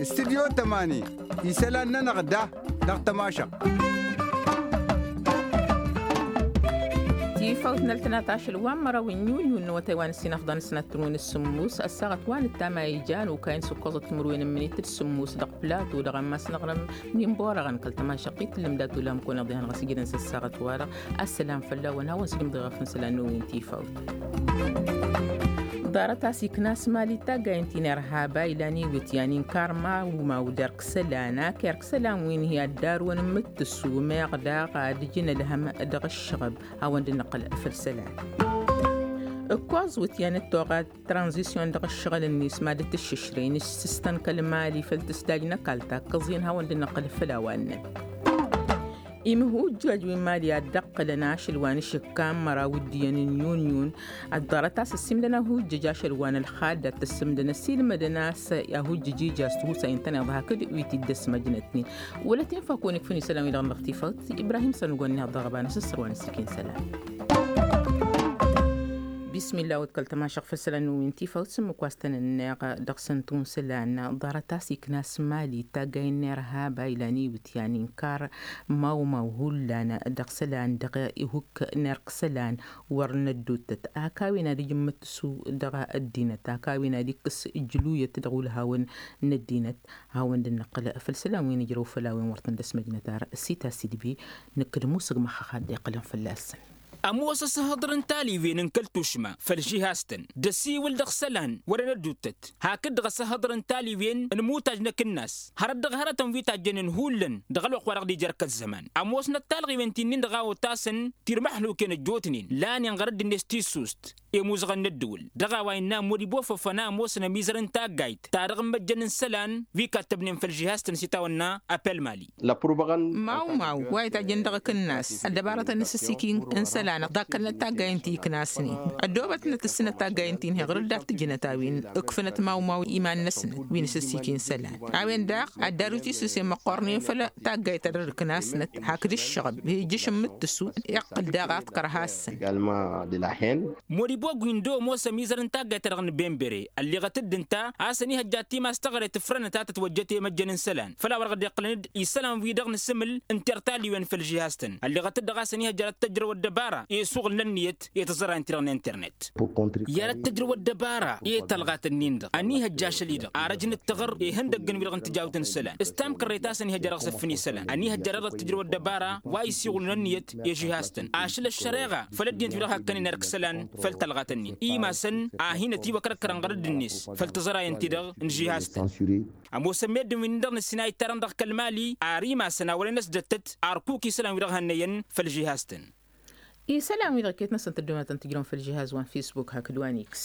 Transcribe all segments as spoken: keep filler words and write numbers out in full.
Studyo tămani isălan-nănăɣ da dăɣ-tămašăɣt. Tifawt n-ăltănat ašăl wa n-măraw n-yunyu n-awătay wa n-ǝssin afḍăn s-năttărun s-sǝmmus ăssaɣăt wa n-ǝttam a ijan ukayăn s-ǝkkoẓăt timǝrwen n-imǝnit d-sǝmmus dăɣ-plato dăɣ-ammas n-aɣrǝm n-inborăɣăn kăl-tămašăɣt i-tǝllǝm dat-ulam kăwăn-iḍehan ɣas ijǝdăn s-ăssaɣăt-wa-dăɣ. Ăssălam fălla-wăn hawăn-sǝjǝmḍeɣ ɣef n-isălan n-wi n-tifawt. Ḍarăt a-s ikna s-mali taggayǝn ti n-irhaba ilan iwǝtyan inkar mawmaw d-erk isălan ak erk isălan wi n-hi-ad-darwăn n-imǝttǝsu meɣ daɣ ad-ǝjǝn ălhăm dăɣ-ǝššăɣăb. Hawăn-dd-nǝqqǝl făll-isălan. Ǝkkoẓ iwǝtyan d-toɣa tranzisyon dăɣ-ǝššăɣǝl-net mad-tǝššǝšrăy n-ǝssǝstăn kăl-mali făll-tǝsdaj n-ăkall takkăẓ-in hawăn-dd-nǝqqǝl făll-a-wa ǝnnăn. Imhujjaj wi n-mali ad-dd-ăqqǝlăn ašăl wa n-ašǝkka n-măraw d-iyyăn n-yunyu-n. Ăḍḍarăt a-s ăssiimdăn ahujjăj ašăl wa n-ălxadd ad-t-ăssǝmdăn ăssiilmădăn a-s ahujjăj ija s-tihusa intăneḍ hakd wi t-dd-ăsmăjnătnen. Wăla t-infăkun ikfǝn isălan-wi-dăɣ n-dăɣ-tifawt ibrahim s-ănugăn iniheḍ dăɣ-ăbanăs ăssărwan s-ikin isălan. Bismillah wăt kăl-tămašăɣ făll-isălan n-wi n-tifawt s-ǝmmǝk wa s-tăn-ǝnneɣ dăɣ-săn tunsǝlan. Ḍarăt a-s ikna s-mali taggay n-irhaba ilan iwǝtyan inkar mawmaw hullan dăɣ-isălan dăɣ-ihukk n-erk isălan wăr năddottăt ak a-wen ad-ǝjǝmmǝt s-u dăɣ-ăddinăt ak a-wen ad-ikkǝs ǝjluyăt dăɣ-ulhawăn n-ăddinăt. Hawăn-dd-nǝqqǝl făll-isălan wi n-ǝjrăw făll-a-wen wăr tăn-dd-ăsmăjnăt ar sita sidbi. Nǝkkǝd musǝg măxxăx ad-dd-iqqǝlăn fălla-săn. Ămoos asǝhhăḍăr n-taliwen n-kăl-tušma făll-žihaz-tăn d-ăsiwǝl dăɣ-isălan wăren ădduuttăt hakd-dăɣ asǝhhăḍăr n-taliwen n-imutaj n-akǝnnas hărăt dăɣ-hărătăn wi tajjănen hullan dăɣ-ălwăqq wa dăɣ-dd-ija ărkăzzăman. Ămoosnăt talɣiwen ti-nin-dăɣ a otasăn tirmăḥluken ăjjootnen lanen ɣărădd-net tissust i-imuzăɣăn n-ăddǝwǝl dăɣ-a-wa innă modibo făfăn a ămoosăn ămizăr n-taggayt ta dăɣ-imăjjăn n-isălan wi kattăbnen făll-žihaz-tăn s-itawănna apel mali. Mawmaw wa itajjăn dăɣ-akǝnnas ăddăbarătăn n-asǝssiki n-isălan ḍakkălnăt taggayen ti iknasnen ăddoobătnăt ǝssǝnăt taggayen ti n-hi-ɣǝr-dd ad-t-ǝjǝnăt a-wen ǝkfǝnăt mawmaw iman-năsnăt wi n-asǝssiki n-isălan. A-wen daɣ ad-darut isǝse măqqornen făll-taggayt ta dăr-ǝknasnăt hakd ǝššăɣăb ijjǝš n-imǝttǝsu iqqǝl daɣ ad-t-kărha-săn. Modibo gwindo ămoos ămizăr n-taggayt-ta-dăɣ n-benbere ălleɣăt-dd ǝnta a-s ănihăjja timas teɣăre tǝfrănăt a tătwăjjăt i-imăjjăn n-isălan făl a wăr dăɣ-dd-iqqǝlăn-dd isălan-wi-dăɣ n-asǝmǝl n-tertaliwen făll-žihaz-tăn. Ălleɣăt-dd dăɣ-a-s ănihăjja ad-tăjrăw ăddăbara i-suɣǝl n-ǝnniyăt i-tiẓărayen-ti-dăɣ n-internet. Iyyăr ad-tăjrăw ăddăbara i-talɣat-nin-dăɣ ănihăjja ašăl-i-dăɣ arăj n-ǝttăɣăr ihăndăgg n-wi-dăɣ n-tijawt n-isălan s-tamkărret a-s ănihăjja dăɣ-s ǝffǝn isălan ănihăjja dăɣ-dăɣ tǝjrăw ăddăbara wa isiɣǝlun ănniyăt i-žihaz-tăn ašăl ăššăreɣa făll-ăddinăt wi-dăɣ hakkănen erk isălan. Făll-talɣat-nin imasăn a hin-ătiwăkrăkkărăn ɣărădd-net făll-tiẓărayen-ti-dăɣ n-žihaz-tăn. Ămoosăn meddǝn wi-nin-dăɣ n-ǝssin a ittarăn dăɣ-kăl-mali ar imasăn a wăren ăsdăttăt arkuki isălan-wi-dăɣ hannăyăn făll-žihaz-tăn. Isălan-wi-dăɣ iket-năsăn tăddoonatăn tǝjrăwăn făll-žihaz wa n-fisbuk hakd wa n-iks.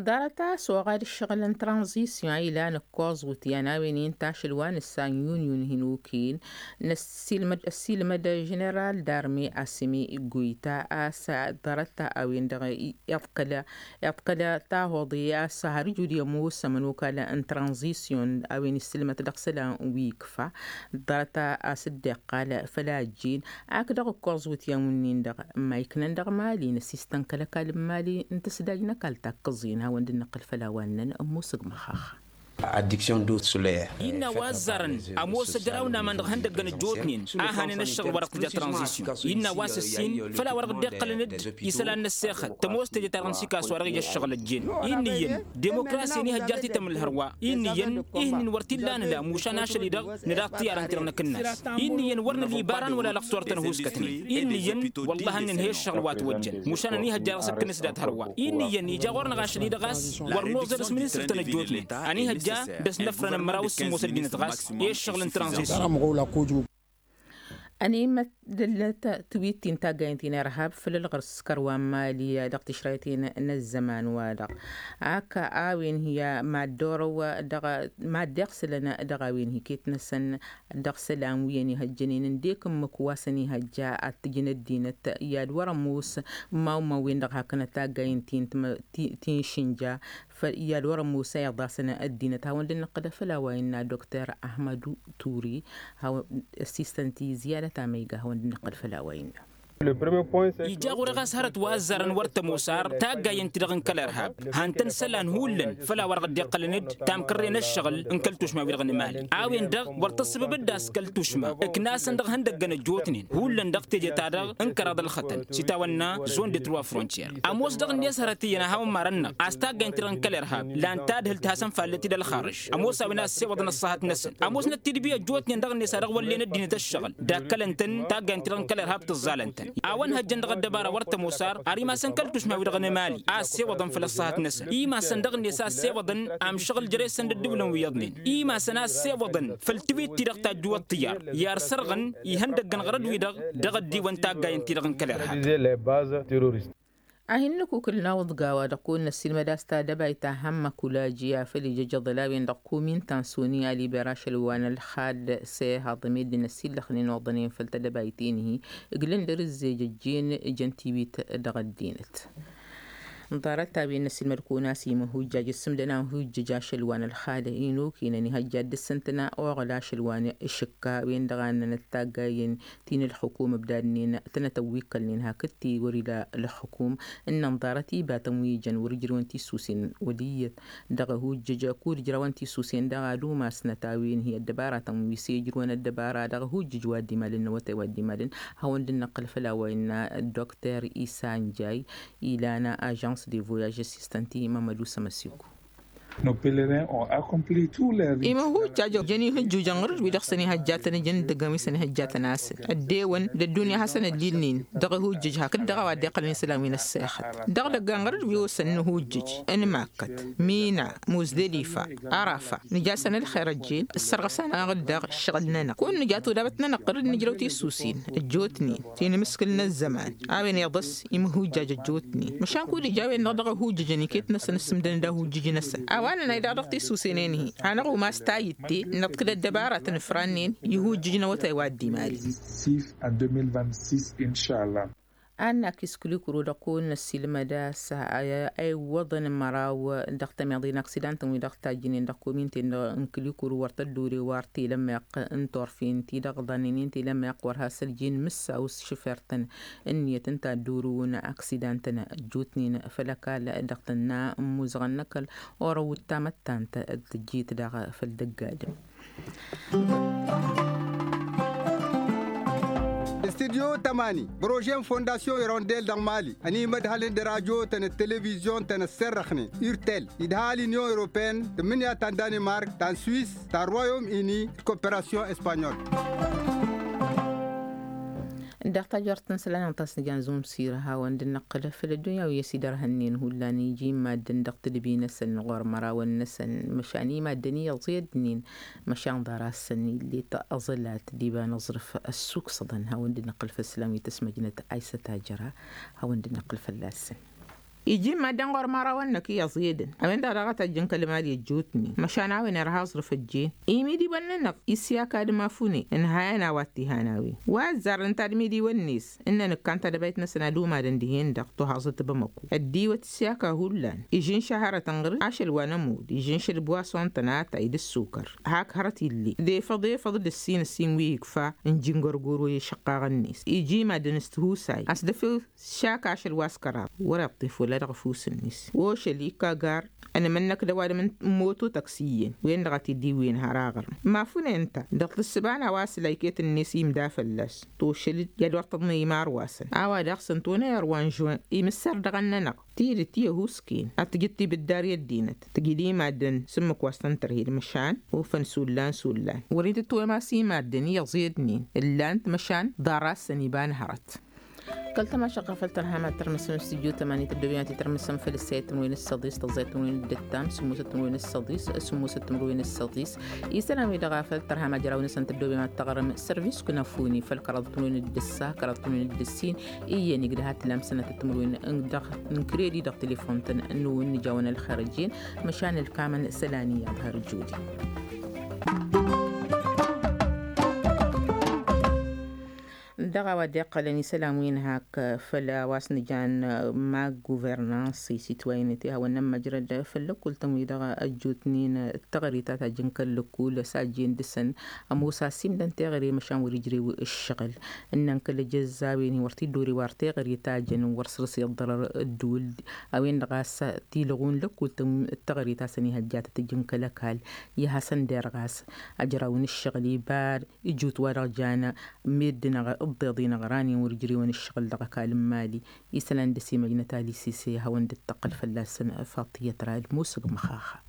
Ḍarăt a-s oɣad ǝššăɣǝl n-tranzisyon a ilan ǝkkoẓ wǝtyan a-wen inta ašăl wa n-ǝssa n-yun-yun hin-ukin n-ăssiilmăd ăssiilmăd ženeral darme asǝmi goyta a-s ḍarăt a-wen-dăɣ iḍkăl iḍkăl tahoḍe a-s har ǝjud i-ămoos ămănokal n-tranzisyon a-wen issǝlmăt dăɣ-isălan wi ikfa. Ḍarăt a-s dd-iqqal făll-ajjin ak dăɣ-ǝkkoẓ wǝtyan wǝnnin-dăɣ ămmayknăn dăɣ-mali n-ăsistăn kăl-ăkall n-mali n-tǝsdaj n-ăkall takkăẓ-in hawăn-dd-nǝqqǝl făll-a-wa ǝnnăn ămmusǝg măxxax. Addiction d'eau solaire. Innă a-wa ăzzarăn ămoos ăjraw n-aman dăɣ-ihăndăggăn ăjjootnen a hanen ăššăɣǝl wa dăɣ-tǝja tranzisyon. Innă a-wa s-ǝssin făll-a-wa dăɣ-dd-iqqălăn-dd isălan n-ăssexăt tămoos teje-ta-dăɣ n-sikas wa dăɣ-ija ăššăɣǝl ăjjeen. Innă iyyăn demokrasi ănihăjja ad-t-itămǝl hărwa. Innă iyyăn ih'-ǝnnin wăr t-illa a nǝla mušan ašăl-i-dăɣ nǝla ăṭṭiyarăn-ti-dăɣ n-akǝnnas. Innă iyyăn wăr nǝla ibaran wăla lăqtor-tăn ăhuuskătnen. Innă iyyăn wăllah a nǝnhăy ăššăɣǝl wa ătwăjjăn mušan ănihăjja dăɣ-s ǝkkǝnǝs dat-hărwa. Innă iyyăn ija ɣur-năɣ ašăl-i-dăɣ a-s wăr noẓăr s-ministăr-tăn ăjjootnen ănihăjja d-ăsnăfrăn ămraw s-sǝmmos ăddinăt ɣas i-ăššăɣǝl n-tranzisyon. Ănimăt d-ăllăt tiwit-ti n-taggayen ti n-irhab făll-ălɣăr s-kărwa n-mali dăɣ-tišrayten n-ăzzăman-wa-dăɣ ak a-wen hi-mad-dd-orăw dăɣ-mad-dd-iɣsǝlăn dăɣ-a-wen hi-iket-năsăn dăɣ-isălan wi ănihăjjănen ǝndek ǝmmǝk wa s-ănihăjja ad-t-ǝjǝn ăddinăt i-ad-wăr-ămoos n-imawmawen-dăɣ hakd n-taggayen ti n-išǝnja. I-ad-wăr-ămoos a iḍasăn ăddinăt hawăn-dd-nǝqqǝl făll-a-wa innă dokter ahmădu turi. Ăssistăn ti ziyadăt amăyga hawăn-dd-nǝqqǝl făll-a-wa innă. Ija ɣur-e ɣas hărăt wa ăzzarăn wăr tămosar taggayăn-ti-dăɣ n-kăl-irhab. Han-tăn isălan hullan făll-a-wa-dăɣ dd-iqqălăn-dd tamkărre n-ăššăɣǝl n-kăl-tušma-wi-dăɣ n-emali a-wen-dăɣ wăr tăssǝbǝbǝd a-s kăl-tušma ǝknasăn dăɣ-ihăndăggăn ăjjootnen hullan dăɣ-teje-ta-dăɣ n-kăraḍ ălxătăn s-itawănna zone de trois frontières. Ămoos dăɣ-net hărăt iyyăn a ha-wăn-marăn-năɣ a-s taggayăn-ti-dăɣ n-kăl-irhab lan tadhǝlt hasăn-fallet-dd ălxarǝž. Ămoos a-wen a ăssewăḍăn ăṣṣahăt-năsăn ămoosnăt tidbi ăjjootnen dăɣ-net a dăɣ-wăllen ăddinăt ăššăɣǝl dakkălăn-tăn taggayăn-ti-dăɣ n-kăl-irhab tǝẓẓalăn-tăn. A-wa ănhăjjăn dăɣ-ăddăbara wăr tămosar ar imasăn kăl-tušma-wi-dăɣ n-emali a ăssewăḍăn făll-ăṣṣahăt-năsăn imasăn dăɣ-net a ăssewăḍăn amšăɣǝl jere-săn d-ǝddǝwǝlăn wi iyyăḍnen imasăn a ăssewăḍăn făll-tibit-ti-dăɣ tajjǝwăḍ tiyyar i-ar sărɣǝn ihăndăggăn ɣărăt-wi-dăɣ dăɣ-ăddiwăn taggayăn-ti-dăɣ n-kăl-irhab. A hin-nǝkukǝl n-awǝḍga wa-dăɣ kăwăn-năssiilmăd a-s tadăbayt ta hămmăk ulaji afăl ijăjăḍăl a-wen-dăɣ komin ta n-soni aliber ašăl wa n-ălxad s-e haḍăm ed d-inăssillăxnen oḍănen făll-tadăbayt-en-hi. Ǝglăn dăr-s ǝzzej ăjjeen ǝjăn tiwit dăɣ-ăddinăt. N-ḍarăt-a-wen n-ăssiilmăd kăwăn-as imǝhhujjaj ǝssǝmdăn amhujjǝj ašăl wa n-ălxad inokinăn ihăjja ad-dd-ǝssǝntǝna oɣăl ašăl wa n-išǝkka a-wen-dăɣ a ǝnnănăt taggayen ti n-ǝlxǝkum ǝbdadnen tănăt-ăwwikkălnen hakd ti wăr-ila ǝlxǝkum. Ǝnnăn ḍarăt ibatăn wi jăn wăr-ǝjrǝwăn tisusen wăl' iyyăt dăɣ-ehujjǝj kud-ǝjrawăn tisusen dăɣ-ad-umasnăt a-wen hi-ăddăbaratăn wi s-e-ǝjrǝwăn ăddăbara dăɣ-ehujjǝj wa dd-imalăn n-awătay wa dd-imalăn. Hawăn-dd-năqqǝl făll-a-wa innă dr isanjay ilan ažans de voyaj assistant i-mămădu sămăsiku. Nos pelerin ont accompli tous les rites. Imǝhhujjaj jăn ihǝjjujăn ɣur-dd wi dăɣ-săn ihăjjatăn ǝjǝn d-ăggăn wi săn ihăjjatăn asǝl ăddewăn d-ăddunya hasăn-ăllilnin dăɣ-ihujjǝj hakd dăɣ-a-wa dd-iqqălăn isălan wi n-ăssexăt. Dăɣ-idăggan ɣur-dd wi osăn n-ihujjǝj n-makkăt mina muzdălifa arafa nǝj'-asăn ălxer ăjjeen ǝssărɣăs-anăɣ-dd dăɣ-ǝššăɣǝl-nănăɣ. Kăwăn-nǝja todabăt-nănăɣ ɣur-dd nǝjrăw tisusin ăjjootnen ti n-imǝskǝl n-ăzzăman a-wen iḍăs imǝhhujjaj ăjjootnen măšan kud-ija a-wen-dăɣ dăɣ-ehujjǝjăn iket-năsăn ǝssǝmdăn d-ahujjǝj-năsăn. A-wa nănay daɣ dăɣ-tisusen-en-hi hanăɣ-umas tayǝtte năḍkǝl ăddăbaratăn ǝfrannen i-ihujjǝj n-awătay wa dd-imali. Six en deux mille vingt-six inšalla. Ad-nak iskǝlikǝru dăɣ-kăwăn-năssiilmăd a-s a iwwăḍăn măraw dăɣ-tămiḍe n-aksidantăn wi dăɣ-tajjǝnen dăɣ-kominte n-kǝlikǝru wăr tăddure wa ar telămmeɣt n-turfen ti-dăɣ ḍannen-in telămmeɣt wăr has-ăljen mǝssaw s-šăfert-tăn ǝnniyăt ǝnta ad-dd-urǝwăn aksidantăn ăjjootnen făll-ăkall dăɣ-tănna n-imuzăɣăn n-ăkall orăw d-tamăttant d-tǝjjit daɣ făll-dăgg-adǝm. Studyo tămani projet n-fondasyon irondel dăɣ-mali ănimădhălăn d-radyo-tăn d-televizyon-tăn ăssărrăxnen urtel idha l-inyon europeen tǝmmǝnǝya ta n-danimark ta n-swis ta n-royom ini d-koperasyon espanyol. Dăɣ-tajort n-isălan n-tasnǝja n-zumsir hawăn-dd-năqqǝl făll-ăddunya wi ăsidărhănnen hullan iji n-maddǝn dăɣ-tǝdbi-năsăn ɣur-mărawăn-năsăn măšan i-maddǝn iyyăẓ i-ăddǝnin măšan ḍarasăn illet aẓălat d-iba n-aẓrǝf ăssuksăḍăn hawăn-dd-năqqǝl făll-isălan wi tăsmăjnăt aysăt ajăra. Hawăn-dd-năqqǝl fălla-săn. Iji n-maddǝn ɣur-mărawăn-năk iyyăẓ i-edăn a-wen-dăɣ daɣ a tajjăn kăl-mali ăjjootnen măšan a-wen irha aẓrǝf ăjjeen imidiwăn-nănăɣ isyak ad-mafune ǝnhayăn a-wa t-ihan a-wen wa ăzzarăn tadmidiwăn-net. Ǝnnăn ǝkkan tadăbayt-năsăn ad-umadăn dihen-dăɣ tuhaẓăt bamăku ăddiwăt s-yaka hullan ižǝnša hărătăn ɣǝr-dd ašăl wa n-ămudd ižǝnša d-bwason-tăn atay d-ǝssukăr hak hărăt ill'-e d-efăḍ efăḍ d-ǝssin ǝssin wi ikfa n-jingărgur wa i-išăqqaɣ-net iji madăn s-tihusay a-s dăf-ew s-šak ašăl wa s-kăraḍ wăr-iṭṭif wăla dăɣ-afus-net ošăl ikka gar ănmănnăk d-ăwadǝm n-moto tăksiyyen wen-dăɣ a t-dd-iwwǝyăn har aɣrǝm mafune ǝnta dăɣ-tǝssǝba n-a-wa s-la iket-net imda fălla-s tošăl-dd i-ad-wăr tăḍnăy imarwasăn a-wa daɣ s-ǝnta onăy ărwa n-žuwen imǝssar dăɣ-ănnănăɣ tidǝt i-ăhusken ad-tǝjǝd tibǝddar i-ăddinăt tǝjǝd i-maddǝn s-ǝmmǝk wa s-tăn-tărhed măšan ufăn s-ullan s-ullan wăr-itǝtwem a-s i-maddǝn iyyăẓ i-ăddinen ǝllan-t măšan ḍarasăn iba n-hărăt. Kăl-tămašăɣ ɣef ăltărham ad-tărmǝsăm studyo tămani tăddobem ad-t-tărmǝsăm făll-ăssayăt timǝrwen s-săḍis tăẓẓayăt timǝrwen d-ǝttam sǝmmosăt timǝrwen s-săḍis sǝmmosăt timǝrwen s-săḍis. Isălan-wi-dăɣ a făl tărham ajraw-năsăn tăddobem ad-tăɣrǝm sărvis kunăfuni făll-kăraḍ timǝrwen d-ǝssa kăraḍ timǝrwen d-ǝssin. Iyyăn igdăh ad-t-lamsănăt timǝrwen dăɣ-n kredi dăɣ-telefon-tăn n-wǝnnǝj a-wen ălxer ăjjeen. Măšan ǝlkamăn isălan iyyăḍ har ǝjudi. Dăɣ-a-wa dd-iqqălăn isălan wi n-hak făll-a-wa s-nǝjan ma guvernans i-sitwayăn ti hawăn-nămmăjrăd făll-lăkkultăn-wi-dăɣ ăjjootnen. Tăɣre ta tajjăn kăl-lăkkul s-ajjen dăr-săn ămoos a simdăn teɣăre măšan wăr-ijrew ǝššăɣǝl ǝnnăn kăl-ejăzzawen-in wăr t-dd-ore wa teɣăre tajjăn wăr săr-s iḍḍărăr. Ădduul a-wen-dăɣ a-s tilɣun lăkkultăn tăɣre ta s-ănihăjjatăt ǝjǝn kăl-ăkall i-ad-hasăn-derɣas ajraw n-ǝššăɣǝl ibar ijut-wa-dăɣ jan meddǝn-dăɣ ǝḍḍeḍ-i n-aɣranen wăr-ǝjrewăn ǝššăɣǝl dăɣ-ăkall n-imali. Isălan dăr-s imăjnăt alisise hawăn-dd-tăqqǝl fălla-săn. Faṭiyăt rad musǝg măxaxa.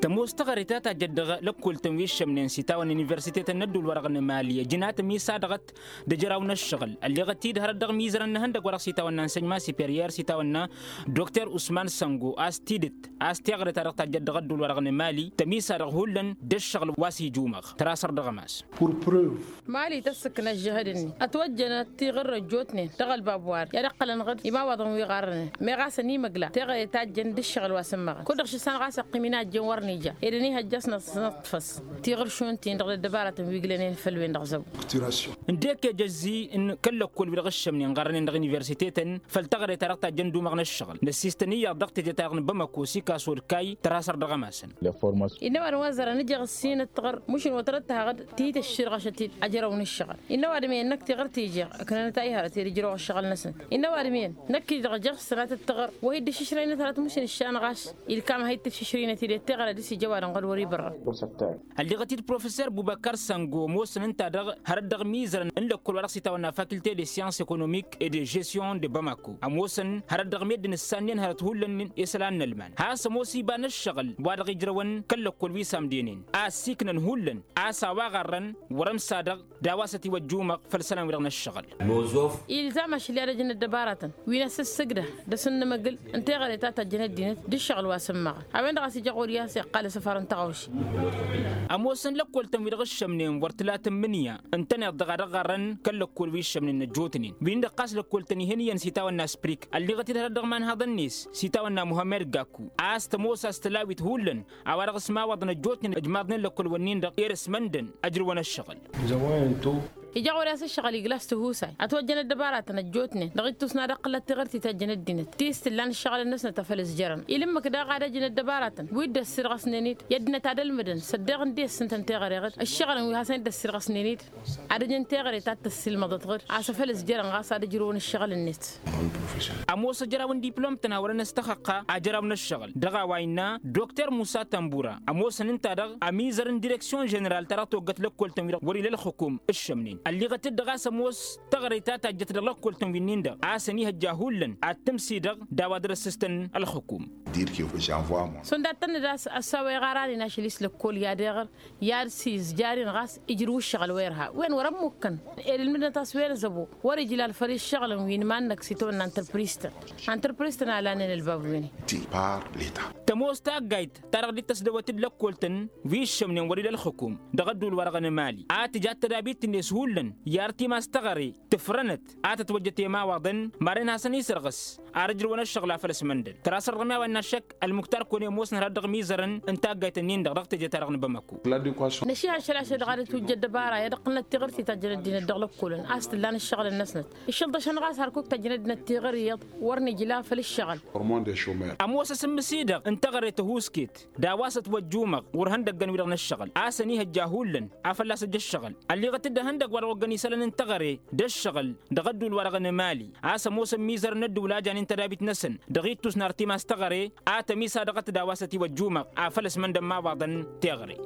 Tămoos tăɣre ta tajjăt dăɣ-lăkkol-tăn wi ǝššămnen s-itawăn n-universitetăn n-ădduul-wa-dăɣ n-imali ăjǝnat ămisadăɣăt d-ajraw n-ăššăɣǝl ălleɣăt-dd hărăt dăɣ-imizărăn n-ihăndăg wa dăɣ-s itawănna n-sănj ma siperyăr s-itawănna dokter usman săngo a-s tidǝt a-s teɣăre-ta-dăɣ tajjăt dăɣ-ădduul-wa-dăɣ n-imali tămisadăɣ hullan d-ǝššăɣǝl wa s-ijumăɣ tărasăr dăɣ-ămas. Mali tăssǝkna ăžžăhăd-ni ătwăjjănăt tiɣǝr ăjjootnen dăɣ-ălbab wa-dăɣ i-ad-ǝqqălăn ɣǝd imawaḍăn wi ɣarrănen meɣ a-s ănimăgla teɣăre tajjăn d-ǝššăɣǝl wa s-ǝmmăɣăn kud-dăɣ šǝssan ɣas ăqqim inajjăn wăr n-ija ed ănihăjja a-s năḍfăs tiɣǝršun-tin-dăɣ d-ăddăbarătăn wi gǝlănen făll-wen-dăɣ zăbo. Ǝndek ejăzzi n-kăl-lăkkol-wi-dăɣ ǝššămnen ɣărrănen dăɣ-universitetăn făll-teɣăre-ta-dăɣ tajjăn d-umăɣ n-ǝššăɣǝl năssiistăn iyyăḍ dăɣ-teje-ta-dăɣ n-bamako s-ikaso d-kayy tărasăr dăɣ-ămasăn. Innă ăwadǝm wa ăzzărăn ǝjeɣ ǝssin ǝttăɣăr mušǝn wăr tărăt tăhăɣ-dd tihǝt ăšširɣăšăt-dd ajrăw n-ǝššăɣǝl. Innă ăwadǝm iyyăn năkk tiɣăr t-ijeɣ ǝknănăt a ihărăt i-ad-ǝjrăw ăššăɣǝl-năsăn. Innă ăwadǝm iyyăn năkk-i-dăɣ ǝjeɣ s-tănatăt tăɣăr wa hi-dd-ǝššǝšrăynăt hărăt mušǝn ǝššan ɣas ilkam a hi-dd-tǝššǝšrăynăt-dd i-teɣăre ad-dăɣ-s ija ăwadǝm ɣur-wăr-ibărrăn. Ălliɣăt-dd professor bubăkar sango ămoosăn ǝnta-dăɣ hărăt dăɣ-imizărăn n-lăkkol wa dăɣ-s itawănna faculté de science économique et de gestion de bamako ămoosăn hărăt dăɣ-meddǝn ǝssannen hărăt hullan isălan n-ălman has-ămoos iba n-ǝššăɣǝl wa dăɣ-ijrăwăn kăl-lăkkol wi s-amdenen a ăssiiknăn hullan a-s a-wa ɣarrăn wăr-ămsadăɣ d-a-wa s-ătiwăjjumăɣ făll-isălan-wi-dăɣ n-ǝššăɣǝl. Ilzam ašăl i-ad-ăj n-ăddăbaratăn wi n-asǝssǝgdăh d-asǝnnǝmăgǝl n-teɣăre ta tajjăn ăddinăt d-ǝššăɣǝl wa s-ǝmmăɣăn a-wen-dăɣ a-s ija ɣur-i a-s iqqal asăfar n-tăɣawse. Ămoosăn lăkkol-tăn wi-dăɣ ǝššămnen wăr tǝlatăn mǝnǝya ǝntăneḍ-dăɣ a dăɣ-ɣarrăn kăl-lăkkol wi ǝššămnen ăjjootnen wi-nin-dăɣ ɣas lăkkol-tăn ihăn iyyăn s-itawănna sprik ălliɣăt-dd hărăt dăɣ-imanhaḍăn-net s-itawănna muhămmed gaku a-s tămoos a-s tălawit hullan a-wa dăɣ-s imawaḍăn ăjjootnen ăjmaḍnen lăkkol-wǝnnin-dăɣ i-ad-ăsmăndăn ăjrǝwăn ăššăɣǝl. Ija ɣur-i a-s ǝššăɣǝl iglas tihusay ătwăjjăn ăddăbaratăn ăjjootnen dăɣ-ittus n-ad-ăqqǝlăt tiɣǝrt i-tajjăn ăddinăt ti s-tǝllan ǝššăɣǝl-năsnăt a făl ǝzjărăn ila ǝmmǝk daɣ ad-ăj n-ăddăbaratăn wi dd-ăssirɣăsnen-dd i-ăddinăt ad-ălmǝdăn s-ăddeɣ n-de-s ǝntăn teɣăre ɣǝd ǝššăɣǝl-wi hasăn-dd-ăssirɣăsnen-dd ad-ăj n-teɣăre ta t-ăssiilmăḍăt ɣǝd a-s afăl ǝzjărăn ɣas ad-ǝjrǝwăn ǝššăɣǝl-net. Ămoos ăjraw n-diplom-tăn a wărăn ăstăxăqqa ajraw n-ăššăɣǝl dăɣ-a-wa innă dokter musa tambura ămoosăn ǝnta-dăɣ ămizăr n-direksyon ženeral ta dăɣ-toggăt lăkkol-tăn wi-dăɣ wăr-ila ălxukum ǝššămnen ălliɣăt-dd dăɣ-a-s ămoos tăɣre ta tajjăt dăɣ-lăkkol-tăn wi-nin-dăɣ a-s ănihăjja hullan ad-tǝmsidăɣ d-a-wa dăr-ăssǝstăn ălxukum. Šund ad-tănnăd a-s ăssaw iɣaranen ašăl-i s-lăkkol i-ad-iɣăr i-ad-sizjaren ɣas ijrǝw ǝššăɣǝl wa irha wen wăr-ămmukkăn ed ǝlmǝdnăt a-s wen ăzăbo wăr-ijlal făll-ǝššăɣǝlăn wi n-iman-năk s-itawănna ăntărpris-tăn. Ăntărpris-tăn a lanen ălbab wi-ni. Tămoos taggayt ta dăɣ-dd-tăsdăwăt d-lăkkol-tăn wi ǝššămnen wăr-ila ălxukum dăɣ-ădduul-wa-dăɣ n-emali a tǝja d-tădabit-net hullan i-ar timas teɣăre tǝfrănăt a tătwăjjăt i-imawaḍăn madăn hasăn-isărɣǝs ar ǝjrǝwăn ăššăɣǝl a făl ăsmăndăn tărasăr dăɣ-mi a-wa innă ašăk ălmuktar kăwăn-e ămoosnăt hărăt dăɣ-imizărăn n-taggayt-nin-dăɣ dăɣ-teje-ta-dăɣ n-bamako. Năšihăn šăl ašăl-dăɣ ad-ătwǝjja ăddăbara i-ad-ăqqǝlnăt tiɣǝrt i-tajjăn ăddinăt dăɣ-lăkkolăn a-s t-ǝllan ǝššăɣǝl-năsnăt iššălḍăšăn ɣas hărkuk tajjăn ăddinăt tiɣăr iyyăḍ wăr nǝjla făll-ǝššăɣǝl. Ămoos asǝmmǝs-i-dăɣ n-teɣăre tăhuusket d-a-wa s-ătwăjjumăɣ ɣur-ihăndăggăn-wi-dăɣ n-ǝššăɣǝl a-s ănihăjja hullan a fălla-s ăj ǝššăɣǝl ălliɣăt-dd ihăndăgg wa dăɣ-oggăn isălan n-teɣăre d-ǝššăɣǝl dăɣ-ădduul-wa-dăɣ n-emali a-s ămoosăn imizărăn n-ădduul a janen tădabit-năsăn dăɣ-ittus n-artimas teɣăre a tămisadăɣăt d-a-wa s-ătiwăjjumăɣ afăl ăsmăndăn imawaḍăn teɣăre.